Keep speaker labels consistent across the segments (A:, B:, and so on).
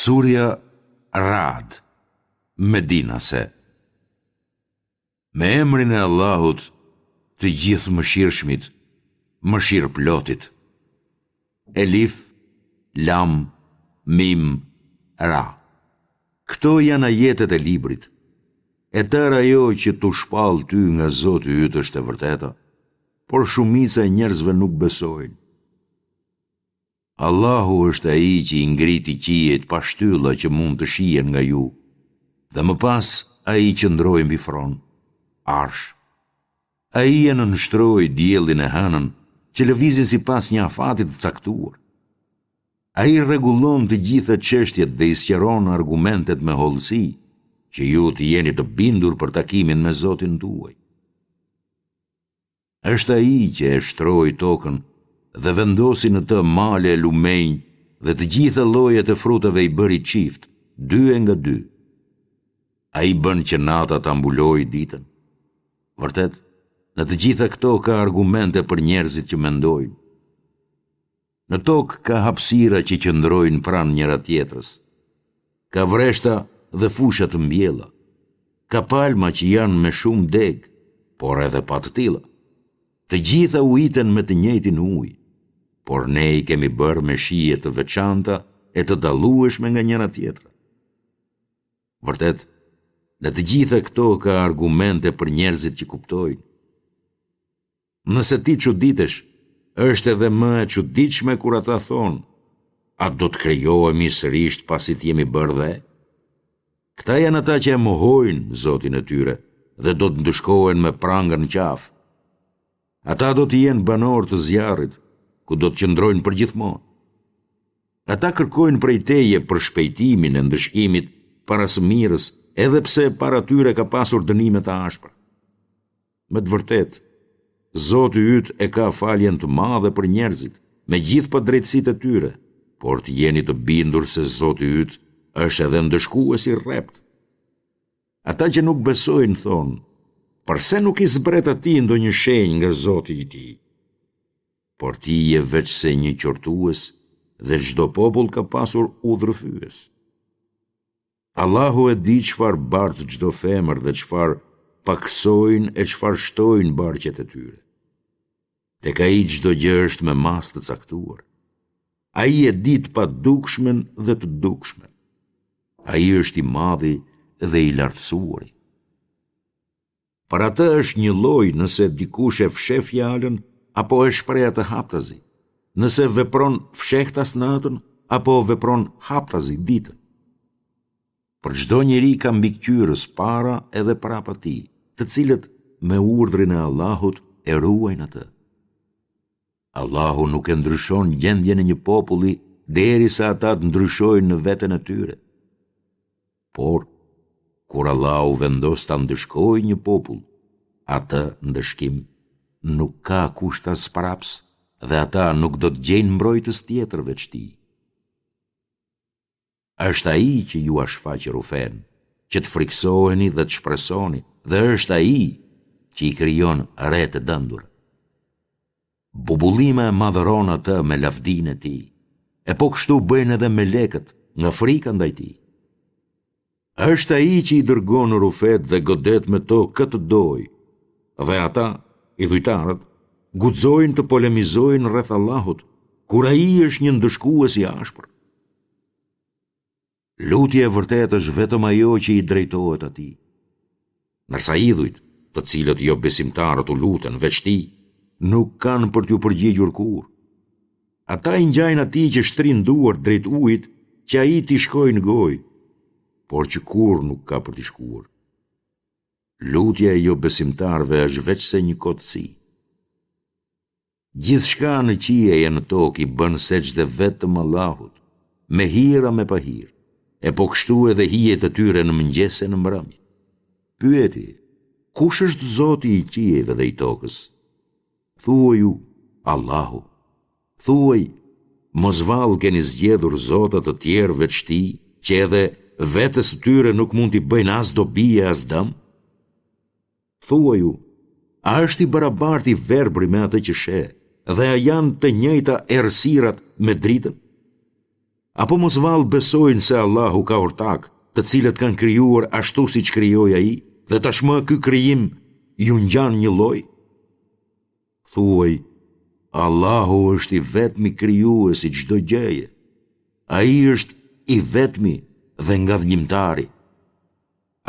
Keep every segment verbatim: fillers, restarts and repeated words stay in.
A: Surja Ra'd, Medinase. Me emrin e Allahut, të Gjithëmëshirshmit, Mëshirëplotit. Elif, Lam, Mim, Ra. Këto janë ajetet e librit. E tërë ajo që t'u shpall ty nga Zoti yt është e vërteta, por shumica e njerëzve nuk besojnë. Allahu është Ai që i ngriti qiejt pa shtylla që mund të shihen nga ju, dhe më pas Ai qëndroi mbi fron, Arsh. Ai e nënshtroi diellin e hënën, që lëvizin sipas një afati të caktuar. Ai rregullon të gjitha çështjet dhe i sqaron argumentet me hollësi, që ju të jeni të bindur për takimin me Zotin tuaj. Është Ai që e shtroi tokën dhe vendosi në të male e lumenj dhe të gjitha llojet e frutave i bëri çift, dy e nga dy. Ai bën që nata ta mbulojë ditën. Vërtet, në të gjitha këto ka argumente për njerëzit që mendojnë. Në tokë ka hapësira që qëndrojnë pranë njëra-tjetrës. Ka vreshta dhe fusha të mbjella. Ka palma që janë me shumë degë, por edhe pa të tilla. Të gjitha ujiten me të njëjtin ujë, por ne i kemi bërë me shije të veçanta e të dallueshme nga njëra-tjetra. Vërtet, në të gjitha këto ka argumente për njerëzit që kuptojnë. Nëse ti çuditesh, është edhe më e çuditshme kur ata thonë, a do të krijohemi sërish pasi të jemi bërë dhe? Këta janë ata që e mohojnë Zotin e tyre dhe do të ndëshkohen me pranga në qafë. Ata do të jenë banorë të zjarrit, ku do të qëndrojnë përgjithmonë. Ata kërkojnë prej teje përshpejtimin e ndëshkimit para së mirës, edhe pse para tyre ka pasur dënime të ashpra. Me të vërtetë, Zoti yt e ka faljen të madhe për njerëzit, me gjithë padrejtësitë e tyre, por të jeni të bindur se Zoti yt është edhe ndëshkues i rreptë. Ata që nuk besojnë thonë, përse nuk i zbret atij ndonjë shenjë nga Zoti i tij? Por ti je veçse një qortues dhe çdo popull ka pasur udhërrëfyes. Allahu e di çfarë bart çdo femër dhe çfarë pakësojnë e çfarë shtojnë barqet e tyre. Tek ai çdo gjë është me masë të caktuar. Ai e di të padukshmen dhe të dukshmen. Ai është i madhi dhe i lartësuari. Për atë është njëlloj nëse dikush e fsheh fjalën apo e shpreh atë haptazi, nëse vepron fshehtas natën apo vepron haptazi ditën. Për çdo njeri ka mbikëqyrës para edhe prapa tij, të cilët me urdhrin e Allahut e ruajnë atë. Allahu nuk e ndryshon gjendjen e një populli derisa ata të ndryshojnë në veten e tyre. Por, kur Allahu vendos ta ndëshkojë një popull, atë ndëshkim nuk ka kush ta zmbrapsë dhe ata nuk do të gjejnë mbrojtës tjetër veç tij. Është ai që jua shfaq rrufenë, që të frikësoheni dhe të shpresoni, dhe është ai që i krijon retë e dendura. Bubullima e madhëron atë me lavdinë e tij, e po kështu bëjnë edhe melekët nga frika ndaj tij. Është ai që i dërgon rrufetë dhe godet me to kë të dojë, dhe ata, idhujtarët, guxojnë të polemizojnë rreth Allahut, kur ai është një ndëshkues i ashpër. Lutja e vërtetë është vetëm ajo që i drejtohet atij. Ndërsa idhujt, të cilët jobesimtarët u luten veç tij, nuk kanë për t'ju përgjigjur kurrë. Ata i ngjajnë atij që shtrin duart drejt ujit që ai t'i shkojë në gojë, por që kurrë nuk ka për t'i shkuar. Lutja e jobesimtarëve është veçse një kotësi. Gjithçka në qiej e në tokë i bën sexhde vetëm Allahut, me hir a me pahir, e po kështu edhe hijet e tyre në mëngjes e në mbrëmje. Pyeti, kush është Zoti i qiejve dhe i tokës? Thuaju, Allahu. Thuaj, mos vallë keni zgjedhur zota të tjerë veç tij, që edhe vetes së tyre nuk mund t'i bëjnë as dobi e as dëm? Thuaju, a është i barabartë i verbri me atë që sheh, dhe a janë të njëjta errësirat me dritën? Apo mos vallë besojnë se Allahu ka ortakë, të cilët kanë krijuar ashtu siç krijoi ai, dhe tashmë ky krijim ju ngjan njëlloj? Thuaj, Allahu është i vetmi krijues i çdo gjëje. Ai është i vetmi dhe ngadhënjimtari.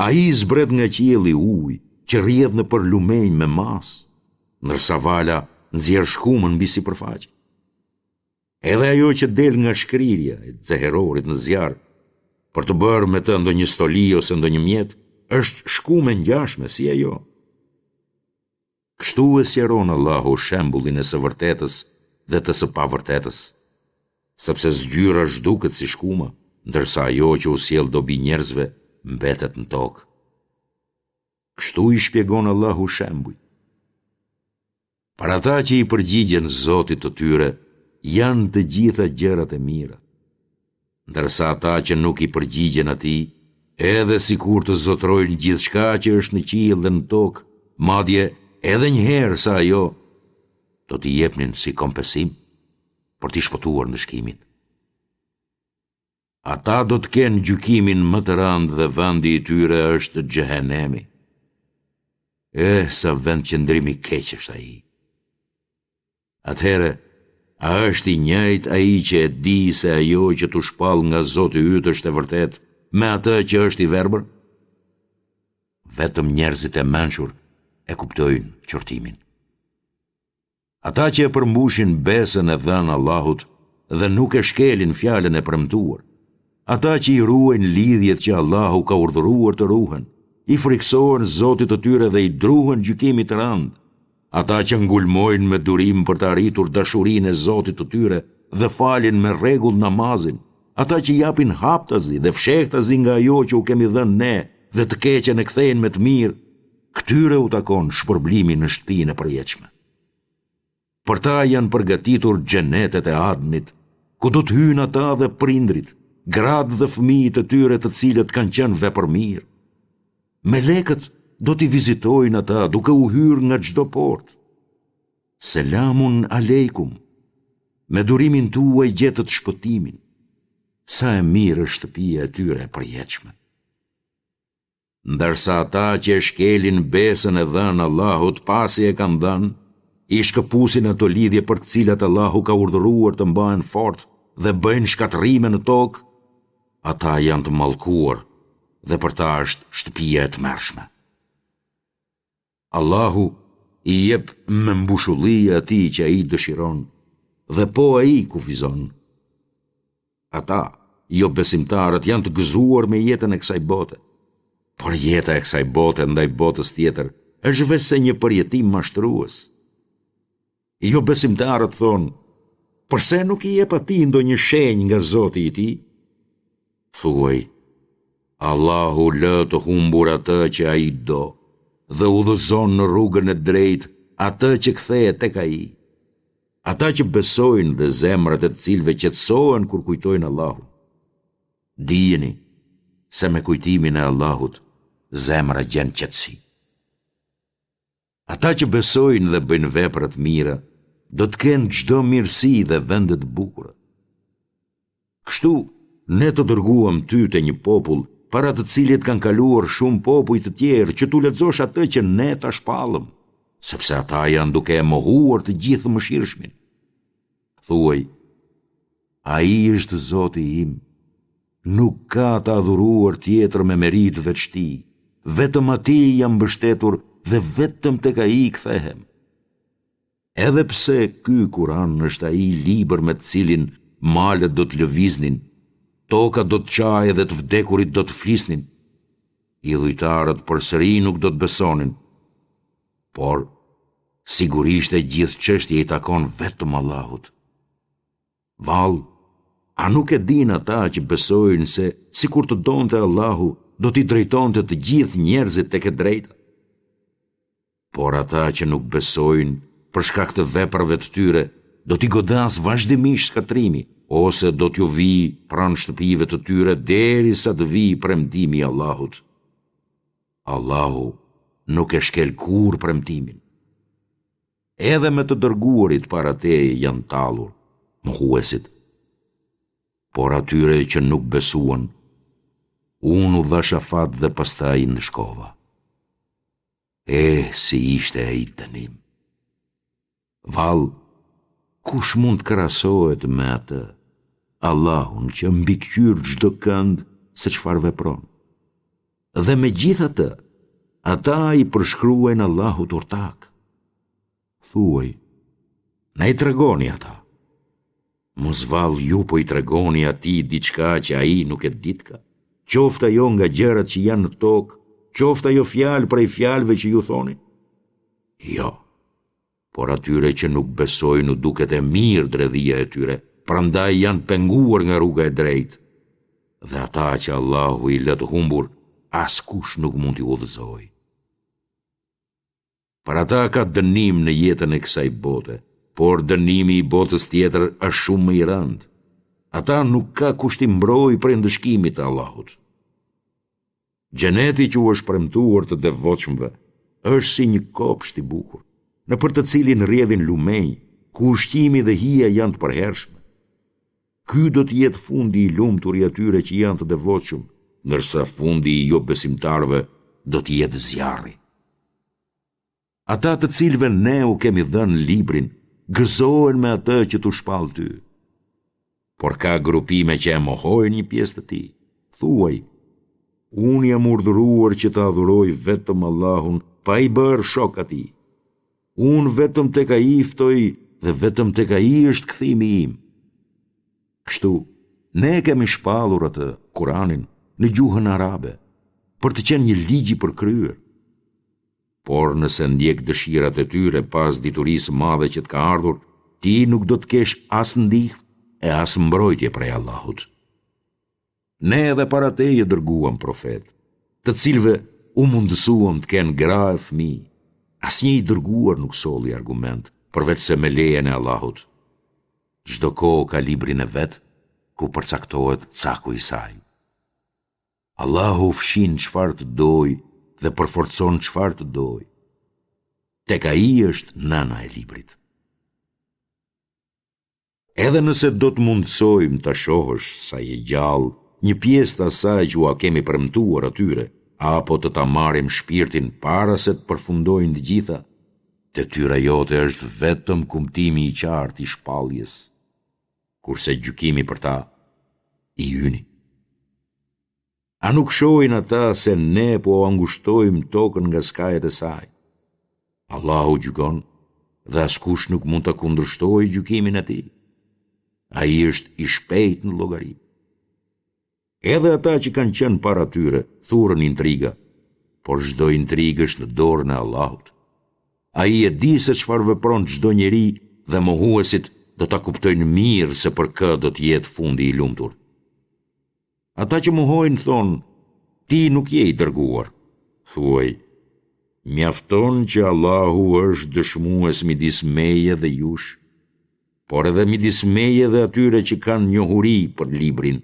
A: Ai zbret nga qielli ujë që rrjedh nëpër lumenj me masë, ndërsa vala nxjerr shkumën mbi sipërfaqe. Edhe ajo që del nga shkrirja e xeherorit në zjarr, për të bërë me të ndonjë stoli ose ndonjë mjet, është shkumë e ngjashme si ajo. Kështu e sqaron Allahu shembullin e së vërtetës dhe të së pavërtetës, sepse zgjyra zhduket si shkuma, ndërsa ajo që u sjell dobi njerëzve mbetet në tokë. Kështu i shpjegon Allahu shembujt. Për ata që i përgjigjen Zotit të tyre, janë të gjitha gjërat e mira. Ndërsa ata që nuk i përgjigjen atij, edhe sikur të zotërojnë gjithçka që është në qiell dhe në tokë, madje edhe një herë sa ajo, do t'i jepnin si kompensim për t'i shpëtuar ndëshkimit. Ata do të kenë gjykimin më të rëndë dhe vendi i tyre është xhehenemi. Eh, sa vendqëndrim i keq është ai. Atëherë, a është i njëjtë ai që e di se ajo që t'u shpall nga Zoti yt është e vërtetë me atë që është i verbër? Vetëm njerëzit e mençur e kuptojnë qortimin. Ata që e përmbushin besën e dhënë Allahut dhe nuk e shkelin fjalën e premtuar, ata që i ruajnë lidhjet që Allahu ka urdhëruar të ruhen, i frikësohen Zotit të tyre dhe i druhen gjykimit të rëndë, ata që ngulmojnë me durim për të arritur dashurinë e Zotit të tyre dhe falin me rregull namazin, ata që japin haptazi dhe fshehtazi nga ajo që u kemi dhënë ne dhe të keqen e kthejnë me të mirë, këtyre u takon shpërblimi në shtëpinë e përjetshme. Për ta janë përgatitur xhenetet e Adnit, ku do të hyjnë ata dhe prindërit, gratë dhe fëmijët e tyre të cilët kanë qenë vepërmirë. Melekët do t'i vizitojnë ata duke u hyrë nga çdo portë. Selamun alejkum. Me durimin tuaj gjetët shpëtimin. Sa e mirë është shtëpia e tyre e përjetshme. Ndërsa ata që e shkelin besën e dhënë Allahut pasi e kanë dhënë, i shkëpusin ato lidhje për të cilat Allahu ka urdhëruar të mbahen fort dhe bëjnë shkatërrime në tokë, ata janë të mallkuar dhe për ta është shtëpia e tmerrshme. Allahu i jep me mbushulli atij që ai dëshiron dhe po ai kufizon. Ata, jobesimtarët, janë të gëzuar me jetën e kësaj bote. Por jeta e kësaj bote ndaj botës tjetër është veçse një përjetim mashtrues. Jobesimtarët thonë, përse nuk i jep atij ndonjë shenjë nga Zoti i tij? Thuaj, Allahu lë të humbur atë që ai do dhe udhëzon në rrugën e drejtë atë që kthehet tek ai. Ata që besojnë dhe zemrat e të cilëve qetësohen kur kujtojnë Allahun. Dijeni se me kujtimin e Allahut zemra gjen qetësi. Ata që besojnë dhe bëjnë vepra të mira, do të kenë çdo mirësi dhe vende të bukura. Kështu, ne të dërguam ty te një popull, para të cilit kanë kaluar shumë popuj të tjerë që t'u lexosh atë që ne ta shpallëm, sepse ata janë duke e mohuar të Gjithëmëshirshmin. Thuaj, ai është Zoti im, nuk ka të adhuruar tjetër me meritë veç tij, vetëm atij jam mbështetur dhe vetëm tek ai kthehem. Edhe pse ky Kur'an është ai libër me të cilin malet do të lëviznin, toka do të çahej dhe të vdekurit do të flisnin, idhujtarët përsëri nuk do të besonin. Por, sigurisht e gjithë çështja i takon vetëm Allahut. Vallë, a nuk e dinë ata që besojnë se sikur të donte Allahu, do t'i drejtonte të gjithë njerëzit tek e drejta? Por ata që nuk besojnë, për shkak të veprave të tyre, do t'i godasë vazhdimisht shkatërrimi, ose do t'ju vijë pranë shtëpive të tyre derisa të vijë premtimi i Allahut. Allahu nuk e shkel kurrë premtimin. Edhe me të dërguarit para teje janë tallur, mohuesit. Por atyre që nuk besuan, unë u dhashë afat dhe pastaj i ndëshkova. Eh, si ishte ai dënim! Vallë, kush mund të krahasohet me atë, Allahun që mbikëqyr çdokënd se çfarë vepron? Dhe megjithatë, ata i përshkruajnë Allahut ortakë. Thuaj, na i tregoni ata. Mos vallë ju po i tregoni atij diçka që ai nuk e ditka, qoftë ajo nga gjërat që janë në tokë, qoftë ajo fjalë prej fjalëve që ju thoni? Jo, por atyre që nuk besojnë u duket e mirë dredhia e tyre, prandaj janë penguar nga rruga e drejtë. Dhe ata që Allahu i lë të humbur, askush nuk mund t'i udhëzojë. Për ata ka dënim në jetën e kësaj bote, por dënimi i botës tjetër është shumë më i rëndë. Ata nuk ka kush t'i mbrojë prej ndëshkimit të Allahut. Xheneti që u është premtuar të devotshmëve është si një kopsht i bukur, nëpër të cilin rrjedhin lumenj, ku ushqimi dhe hija janë të përhershme. Ky do të jetë fundi i lumtur i atyre që janë të devotshëm, ndërsa fundi i jobesimtarëve do të jetë zjarri. Ata të cilëve ne u kemi dhënë librin, gëzohen me atë që t'u shpall ty. Por ka grupime që e mohojnë një pjesë të tij. Thuaj, unë jam urdhëruar që të adhuroj vetëm Allahun, pa i bërë shok atij. Unë vetëm tek ai ftoj dhe vetëm tek ai është kthimi im. Kështu, ne e kemi shpallur atë, Kuranin, në gjuhën arabe, për të qenë një ligj i përkryer. Por nëse ndjek dëshirat e tyre pas diturisë së madhe që të ka ardhur, ti nuk do të kesh as ndihmë e as mbrojtje prej Allahut. Ne edhe para teje dërguam profetë, të cilëve u mundësuam të kenë gra e fëmijë. Asnjë i dërguar nuk solli argument, përveçse me lejen e Allahut. Çdo kohë ka librin e vet, ku përcaktohet caku i saj. Allahu fshin çfarë të dojë dhe përforcon çfarë të dojë. Tek ai është nëna e librit. Edhe nëse do të mundësojmë ta shohësh sa je gjallë, një pjesë të asaj që ua kemi premtuar atyre, apo të ta marrim shpirtin para se të përfundojnë të gjitha, detyra jote është vetëm kumtimi i qartë i shpalljes, kurse gjykimi për ta i yni. A nuk shohin ata se ne po ua ngushtojmë tokën nga skajet e saj? Allahu gjykon dhe askush nuk mund ta kundërshtojë gjykimin e tij. Ai është i shpejtë në llogari. Edhe ata që kanë qenë para tyre thurën intriga, por çdo intrigë është në dorën e Allahut. Ai e di se çfarë vepron çdo njeri dhe mohuesit do ta kuptojnë mirë se për kë do të jetë fundi i lumtur. Ata që mohojnë thonë, ti nuk je i dërguar. Thuaj, mjafton që Allahu është dëshmues midis meje dhe jush, por edhe midis meje dhe atyre që kanë njohuri për librin.